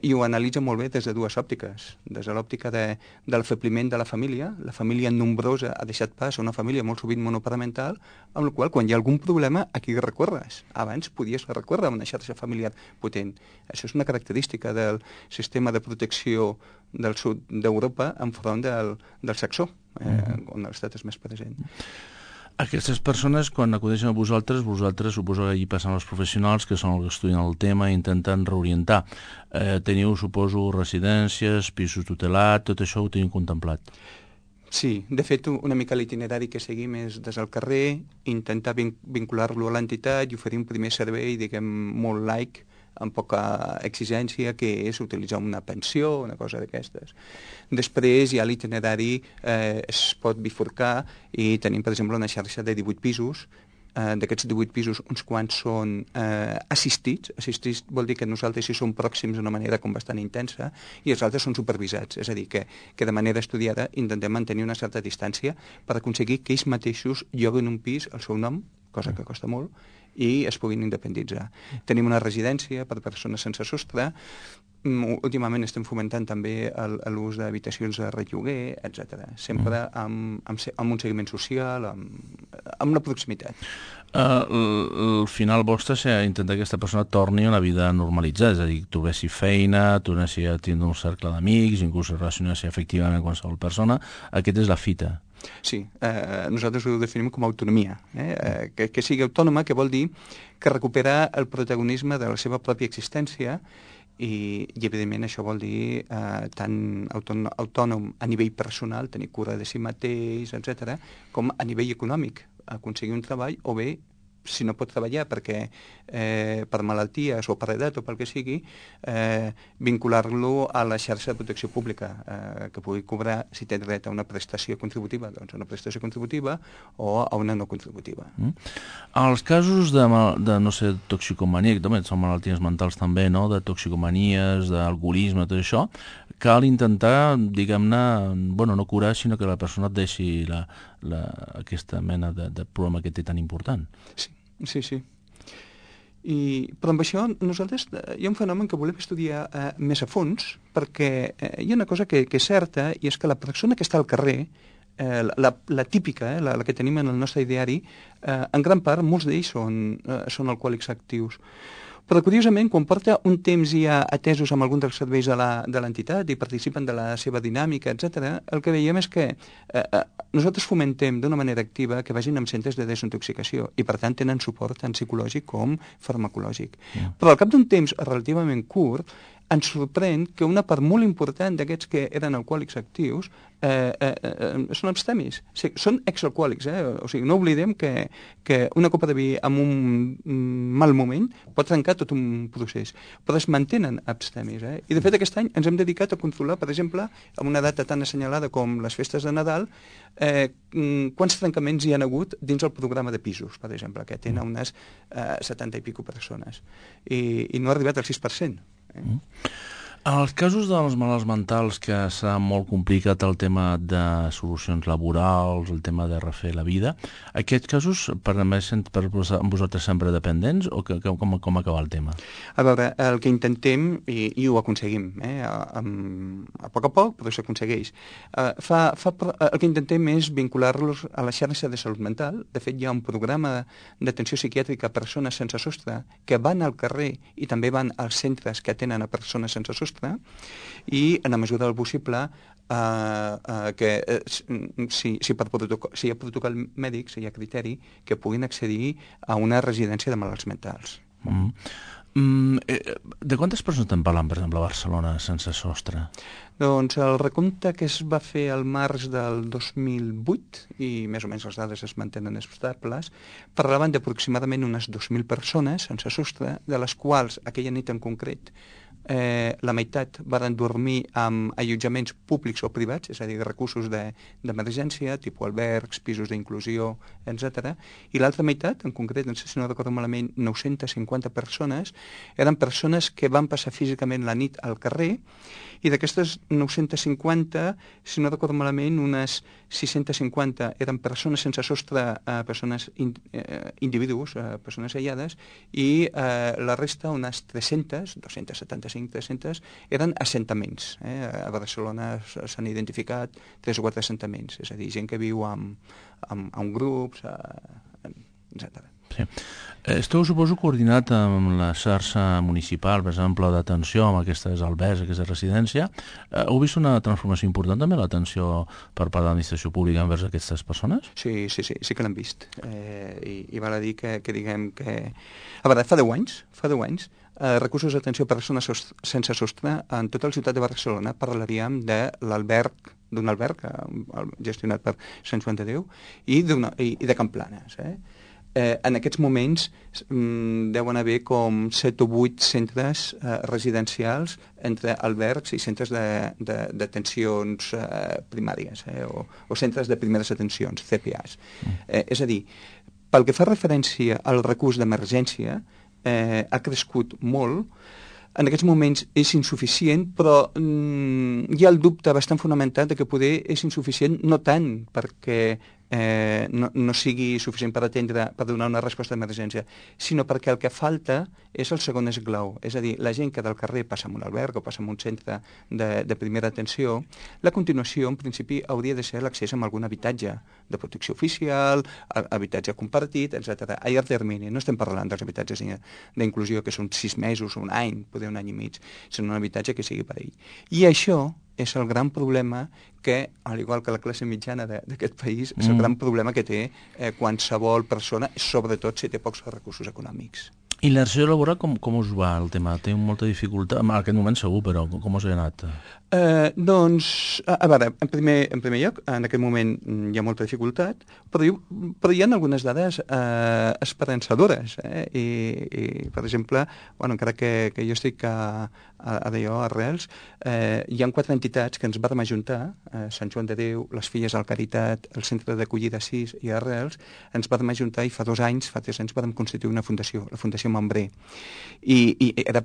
i ho analitza molt bé des de dues òptiques. Des de l'òptica de l'afebliment de la família nombrosa ha deixat pas a una família molt sovint monoparental, amb la qual quan hi ha algun problema, a qui recorres? Abans podies recórrer a una xarxa familiar potent. Això és una característica del sistema de protecció del sud d'Europa enfront del saxó, on l'estat és més present. Aquestes persones, quan acudeixen a vosaltres suposo que allí passen els professionals que són els que estudien el tema i intenten reorientar. Teniu, suposo, residències, pisos tutelats, tot això ho teniu contemplat? Sí, de fet, una mica l'itinerari que seguim és des del carrer, intentar vincular-lo a l'entitat i oferir un primer servei, diguem, molt laic, amb poca exigència, que és utilitzar una pensió, una cosa d'aquestes. Després ja l'itinerari es pot bifurcar i tenim, per exemple, una xarxa de 18 pisos. D'aquests 18 pisos, uns quants són assistits. Assistits vol dir que nosaltres hi som pròxims d'una manera com bastant intensa i els altres són supervisats. És a dir, que de manera estudiada intentem mantenir una certa distància per aconseguir que ells mateixos lloguen un pis al seu nom, cosa que costa molt, i es puguin independitzar. Tenim una residència per persones sense sostre. Últimament estem fomentant també l'ús d'habitacions de relloguer, etc. Sempre amb un seguiment social, amb la proximitat. El final vostre és intentar que aquesta persona torni a una vida normalitzada, és a dir, que trobessi feina, tornessi a tindre un cercle d'amics, inclús relacionar-se efectivament amb qualsevol persona. Aquesta és la fita. Sí, nosaltres ho definim com a autonomia. Que sigui autònoma, que vol dir que recupera el protagonisme de la seva pròpia existència i evidentment això vol dir tant autònom a nivell personal, tenir cura de si mateix, etc., com a nivell econòmic, aconseguir un treball o bé, si no pot treballar perquè per malalties o per edat o pel que sigui, vincular-lo a la xarxa de protecció pública, que pugui cobrar, si té dret a una prestació contributiva, doncs una prestació contributiva o a una no contributiva. Els casos de no sé, toxicomania, que també són malalties mentals també, no?, de toxicomanies, d'alcoholisme, tot això, cal intentar, diguem-ne, no curar, sinó que la persona et deixi aquesta mena de problema que té tan important. Sí. Però amb això nosaltres hi ha un fenomen que volem estudiar més a fons, perquè hi ha una cosa que és certa, i és que la persona que està al carrer, la típica, la que tenim en el nostre ideari, en gran part molts d'ells són alcohòlics actius. Però, curiosament, quan porta un temps ja atesos amb algun dels serveis de l'entitat i participen de la seva dinàmica, etc., el que veiem és que nosaltres fomentem d'una manera activa que vagin amb centres de desintoxicació i, per tant, tenen suport tant psicològic com farmacològic. Però al cap d'un temps relativament curt, ens sorprèn que una part molt important d'aquests que eren alcohòlics actius són abstemis. O sigui, són exalcohòlics, O sigui, no oblidem que una copa de vi en un mal moment pot trencar tot un procés, però es mantenen abstemis. I, de fet, aquest any ens hem dedicat a controlar, per exemple, amb una data tan assenyalada com les festes de Nadal, quants trencaments hi ha hagut dins el programa de pisos, per exemple, que tenen unes 70 i pico persones. I no ha arribat al 6%. En els casos dels malalts mentals, que serà molt complicat el tema de solucions laborals, el tema de refer la vida, aquests casos per vosaltres sempre dependents o com acaba el tema? A veure, el que intentem, i ho aconseguim, a poc, però s'aconsegueix. El que intentem és vincular-los a la xarxa de salut mental. De fet, hi ha un programa d'atenció psiquiàtrica a persones sense sostre que van al carrer i també van als centres que atenen a persones sense sostre, i en la mesura del possible si hi ha protocol mèdic, si hi ha criteri, que puguin accedir a una residència de malalts mentals. De quantes persones estem parlant, per exemple, a Barcelona sense sostre? Doncs el recompte que es va fer al març del 2008, i més o menys les dades es mantenen estables, parlaven d'aproximadament unes 2.000 persones sense sostre, de les quals aquella nit en concret la meitat van dormir amb allotjaments públics o privats, és a dir, recursos d'emergència, tipus albergs, pisos d'inclusió, etc. I l'altra meitat, en concret, no sé si no recordo malament, 950 persones, eren persones que van passar físicament la nit al carrer, i d'aquestes 950, si no recordo malament, unes 650 eren persones sense sostre, persones individus, persones aïllades, i la resta, unes 300, 275, 300, eren assentaments. A Barcelona s'han identificat 3 o 4 assentaments, és a dir, gent que viu en grups, etc. Sí. Esteu, suposo, coordinat amb la xarxa municipal, per exemple, d'atenció amb aquestes albergs, aquesta residència. Heu vist una transformació important també l'atenció per part de l'administració pública envers aquestes persones? Sí que l'hem vist. I val a dir que diguem que... A veure, fa 10 anys, recursos d'atenció a persones sense sostre en tota la ciutat de Barcelona parlaríem d'un alberg gestionat per Sant Joan de Déu i de Can Planes. En aquests moments deuen haver com 7 o 8 centres residencials entre albergs i centres d'atencions primàries o centres de primeres atencions, CPAs. És a dir, pel que fa referència al recurs d'emergència, ha crescut molt. En aquests moments és insuficient, però hi ha el dubte bastant fonamentat de que poder és insuficient no tant perquè no sigui suficient per donar una resposta d'emergència, sinó perquè el que falta és el segon esglau. És a dir, la gent que del carrer passa en un alberg o passa en un centre de primera atenció, la continuació, en principi, hauria de ser l'accés a algun habitatge de protecció oficial, habitatge compartit, etc. A llarg termini. No estem parlant dels habitatges d'inclusió que són 6 mesos o un any, poder un any i mig, sinó un habitatge que sigui per ell. I això és el gran problema que, al igual que la classe mitjana d'aquest país, és el gran problema que té qualsevol persona, sobretot si té pocs recursos econòmics. I l'inserció laboral, com us va el tema? Té molta dificultat? En aquest moment segur, però com us ha anat? Doncs, a veure, en primer lloc, en aquest moment hi ha molta dificultat, però hi ha algunes dades esperançadores. I, per exemple, encara que jo estic a Arrels, hi ha 4 entitats que ens vam ajuntar, Sant Joan de Déu, les Filles del Caritat, el Centre d'Acollida 6 i Arrels, ens vam ajuntar i fa 3 anys vam constituir una fundació, la Fundació Membré. I era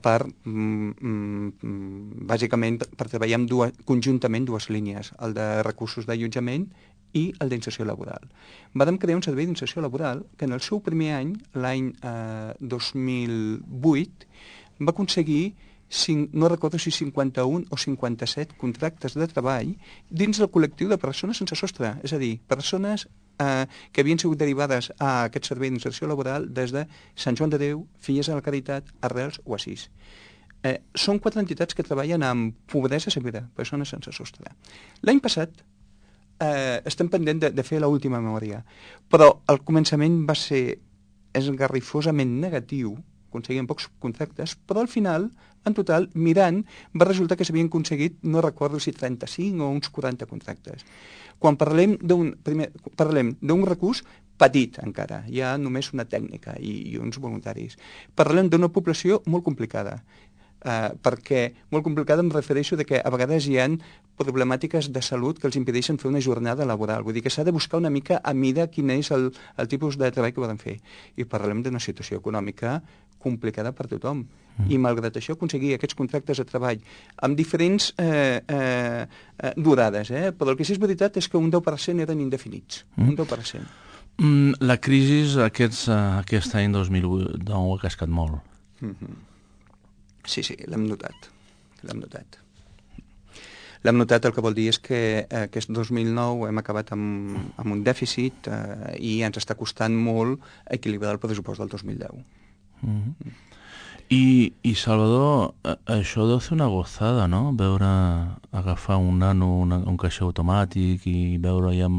bàsicament per treballar conjuntament 2 línies, el de recursos d'allotjament i el d'inserció laboral. Vam crear un servei d'inserció laboral que en el seu primer any, l'any 2008, va aconseguir, no recordo si 51 o 57 contractes de treball dins del col·lectiu de persones sense sostre, és a dir, persones que havien sigut derivades a aquest servei d'inserció laboral des de Sant Joan de Déu, Filles de la Caritat, Arrels o Assís. Són 4 entitats que treballen amb pobresa severa, persones sense sostre. L'any passat estem pendent de fer l'última memòria, però el començament va ser esgarrifosament negatiu, aconseguien pocs contractes, però al final, en total, mirant, va resultar que s'havien aconseguit, no recordo si 35 o uns 40 contractes. Quan parlem d'un recurs petit encara, hi ha només una tècnica i uns voluntaris. Parlem d'una població molt complicada, perquè molt complicada em refereixo de que a vegades hi ha problemàtiques de salut que els impedeixen fer una jornada laboral. Vull dir que s'ha de buscar una mica a mida quin és el tipus de treball que poden fer. I parlem d'una situació econòmica complicada per tothom. I malgrat això aconseguir aquests contractes de treball amb diferents durades, però el que sí és veritat és que un 10% eren indefinits. Un 10%. La crisi aquest any 2009 ha cascat molt. Sí, l'hem notat. L'hem notat, el que vol dir és que aquest 2009 hem acabat amb un dèficit i ens està costant molt equilibrar el pressupost del 2010. I Salvador, això deu ser una gozada, no? Agafar un nano, un caixer automàtic i veure ja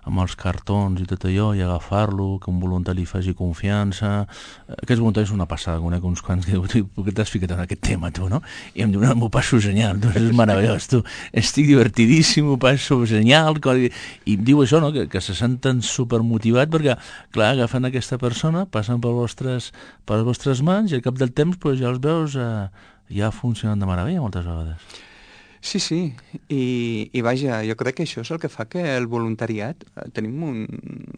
amb els cartons i tot allò, i agafar-lo, que un voluntari faci confiança. Aquests voluntaris són una passada, conec uns quants que diuen, per què t'has ficat en aquest tema, tu, no? I em diuen, m'ho passo genial, tu, és meravellós, tu, estic divertidíssim, m'ho passo genial, i diu això, no?, que se senten supermotivats perquè, clar, agafen aquesta persona, passen per les vostres mans i al cap del temps pues, ja els veus ja funcionant de meravella moltes vegades. Sí, i vaja, jo crec que això és el que fa que el voluntariat, tenim un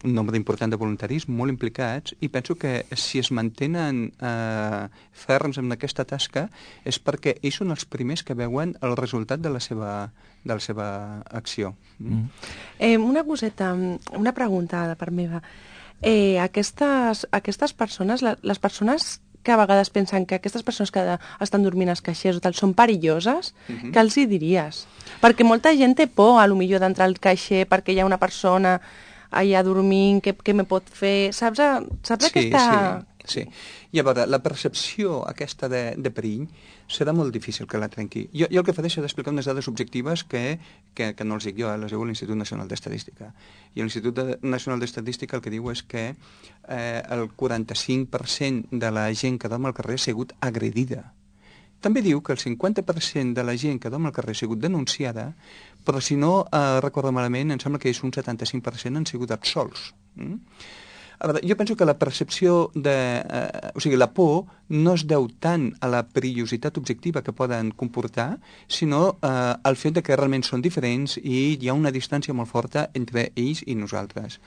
nombre important de voluntaris molt implicats i penso que si es mantenen ferms en aquesta tasca és perquè ells són els primers que veuen el resultat de la seva acció. Una coseta, una pregunta de part meva. Aquestes persones, les persones que a vegades pensen que aquestes persones que estan dormint als caixers o tal són perilloses, què els hi diries? Perquè molta gent té por, a lo millor, d'entrar al caixer perquè hi ha una persona allà dormint, què me pot fer? Saps aquesta... Sí. I a veure, la percepció aquesta de perill serà molt difícil que la trenqui. Jo el que faré és explicar unes dades objectives que no els dic jo, les diu l'Institut Nacional d'Estadística. I l'Institut Nacional d'Estadística el que diu és que el 45% de la gent que dorm al carrer ha sigut agredida. També diu que el 50% de la gent que dorm al carrer ha sigut denunciada, però si no recordo malament, em sembla que és un 75% han sigut absolts. A veure, jo penso que la percepció o sigui, la por no es deu tant a la perillositat objectiva que poden comportar, sinó al fet de que realment són diferents i hi ha una distància molt forta entre ells i nosaltres.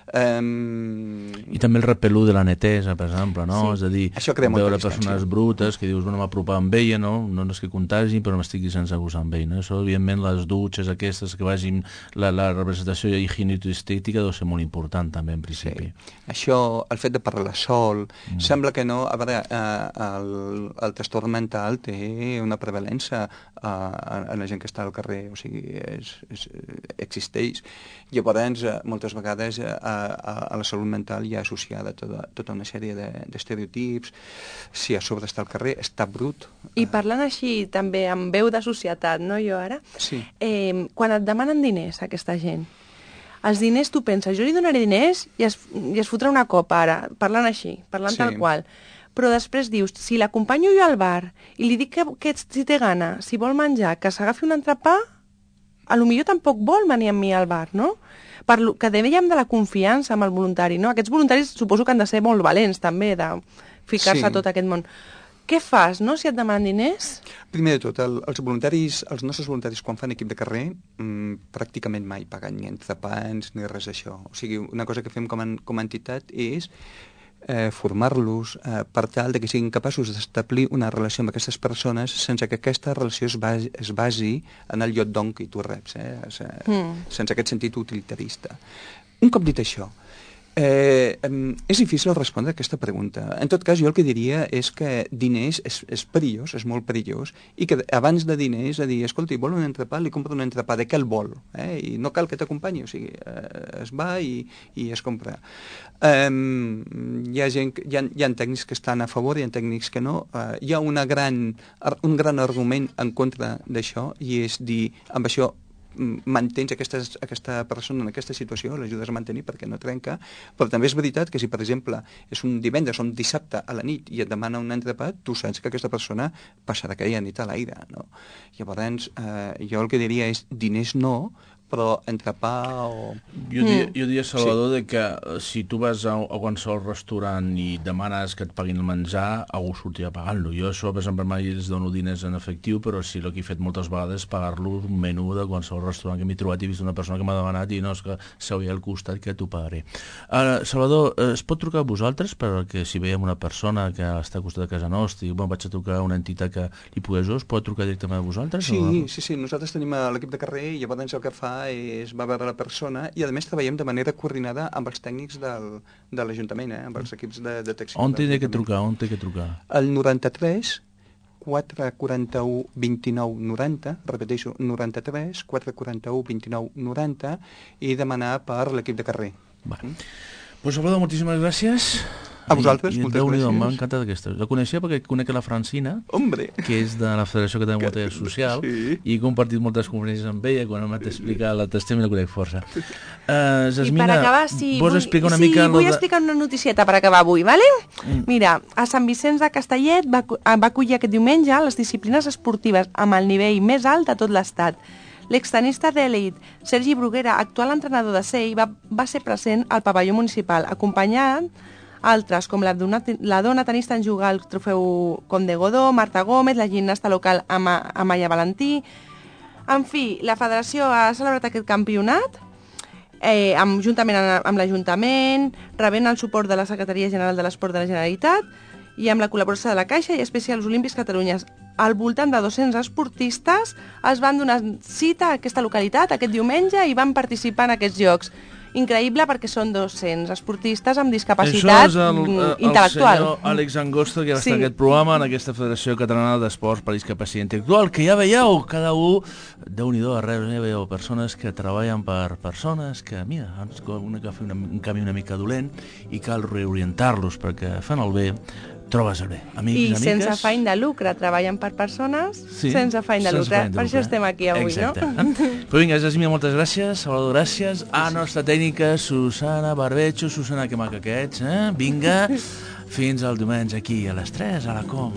I també el repelú de la netesa, per exemple, no? Sí. És a dir, veure persones brutes que dius, bueno, m'apropar amb ella, no és que contagi, però m'estigui sense gosar amb ell, no? Això, evidentment, les dutxes aquestes que vagin, la representació higienicoestètica deu ser molt important, també, en principi. Sí. Això, el fet de parlar sol, sembla que no... A veure, el trastorn mental té una prevalença a la gent que està al carrer, o sigui, existeix. Llavors, moltes vegades a la salut mental hi ha associada tota una sèrie d'estereotips. Si a sobre està al carrer, està brut. I parlant així també amb veu de societat, no, jo ara? Sí. Quan et demanen diners, aquesta gent, els diners tu penses, jo li donaré diners i es fotrà una copa ara, parlant així, parlant tal qual. Però després dius, si l'acompanyo jo al bar i li dic que si té gana, si vol menjar, que s'agafi un entrepà, potser tampoc vol venir amb mi al bar, no? Que dèiem de la confiança amb el voluntari, no? Aquests voluntaris suposo que han de ser molt valents, també, de ficar-se a tot aquest món. Què fas, no?, si et demanen diners? Primer de tot, els nostres voluntaris, quan fan equip de carrer, pràcticament mai paguen ni entrepans ni res d'això. O sigui, una cosa que fem com a entitat és formar-los per tal de que siguin capaços d'establir una relació amb aquestes persones sense que aquesta relació es basi en el lloc d'on que tu reps, sense aquest sentit utilitarista. Un cop dit això, És difícil respondre a aquesta pregunta. En tot cas, jo el que diria és que diners és perillós, és molt perillós, i que abans de diners, dir, escolti, vol un entrepà, li compro un entrepà, de què el vol? I no cal que t'acompanyi, o sigui, es va i es compra. Hi ha tècnics que estan a favor, hi ha tècnics que no. Hi ha un gran argument en contra d'això, i és dir, amb això mantens aquesta persona en aquesta situació, l'ajudes a mantenir perquè no trenca, però també és veritat que si, per exemple, és un divendres o un dissabte a la nit i et demana un entrepà, tu saps que aquesta persona passarà aquella nit a l'aire, no? Llavors, jo el que diria és diners no, però entrepà o... Jo diria, Salvador, de que si tu vas a qualsevol restaurant i demanes que et paguin el menjar, algú sortirà pagant-lo. Jo això, per exemple, mai els dono diners en efectiu, però sí el que he fet moltes vegades és pagar-lo un menú de qualsevol restaurant que m'he trobat i he vist una persona que m'ha demanat i no, és que s'hauria al costat que t'ho pagaré. Salvador, es pot trucar a vosaltres perquè si veiem una persona que està al costat de casa nostra i vaig a trucar a una entitat que li pogués, es pot trucar directament a vosaltres? Sí, nosaltres tenim l'equip de carrer i llavors el que fa és va veure la persona i a més treballem de manera coordinada amb els tècnics de l'Ajuntament, amb els equips de detecció. On té que trucar? El 93 441 29 90, repeteixo, 93 441 29 90 i demanar per l'equip de carrer. Pues Salvador, moltíssimes gràcies. A vosaltres, moltes gràcies. M'ha encantat aquesta. La coneixia perquè conec la Francina, que és de la Federació Catalana de Montaña Social, i he compartit moltes conferències amb ella, quan m'ha explicat la testimoni la conec força. I Jasmina, per acabar, vols explicar una mica... Sí, vull explicar una noticieta per acabar avui, ¿vale? Mira, a Sant Vicenç de Castellet va acollir aquest diumenge les disciplines esportives amb el nivell més alt de tot l'estat. L'extenista d'elit Sergi Bruguera, actual entrenador de SEI, va ser present al pavelló municipal, acompanyant altres, com la dona tenista en jugar al trofeu Comte Godó, Marta Gómez, la gimnasta local Amaya Valentí. En fi, la federació ha celebrat aquest campionat juntament amb l'Ajuntament, rebent el suport de la Secretaria General de l'Esport de la Generalitat i amb la col·laboració de la Caixa i Especials Olímpics Catalunya. Al voltant de 200 esportistes es van donar cita a aquesta localitat aquest diumenge i van participar en aquests Jocs. Increïble perquè són 200 esportistes amb discapacitat intel·lectual. El senyor Àlex Angosto, que va estar en aquest programa, en aquesta Federació Catalana d'Esports per Discapacitat Intel·lectual, que ja veieu, cada un, Déu-n'hi-do, arreu, ja veieu persones que treballen per persones que, mira, han de fer un canvi una mica dolent i cal reorientar-los perquè fan el bé, trobes el bé. Amics, I amigues... sense afany de lucre, treballen per persones sense afany de lucre. Per això estem aquí avui, exacte. No? Però vinga, Jasmina, moltes gràcies. Salvador, gràcies. A nostra tècnica, Susana Barbecho. Susana, que maca que ets, eh? Vinga, fins al diumenge aquí a les 3 a la Com.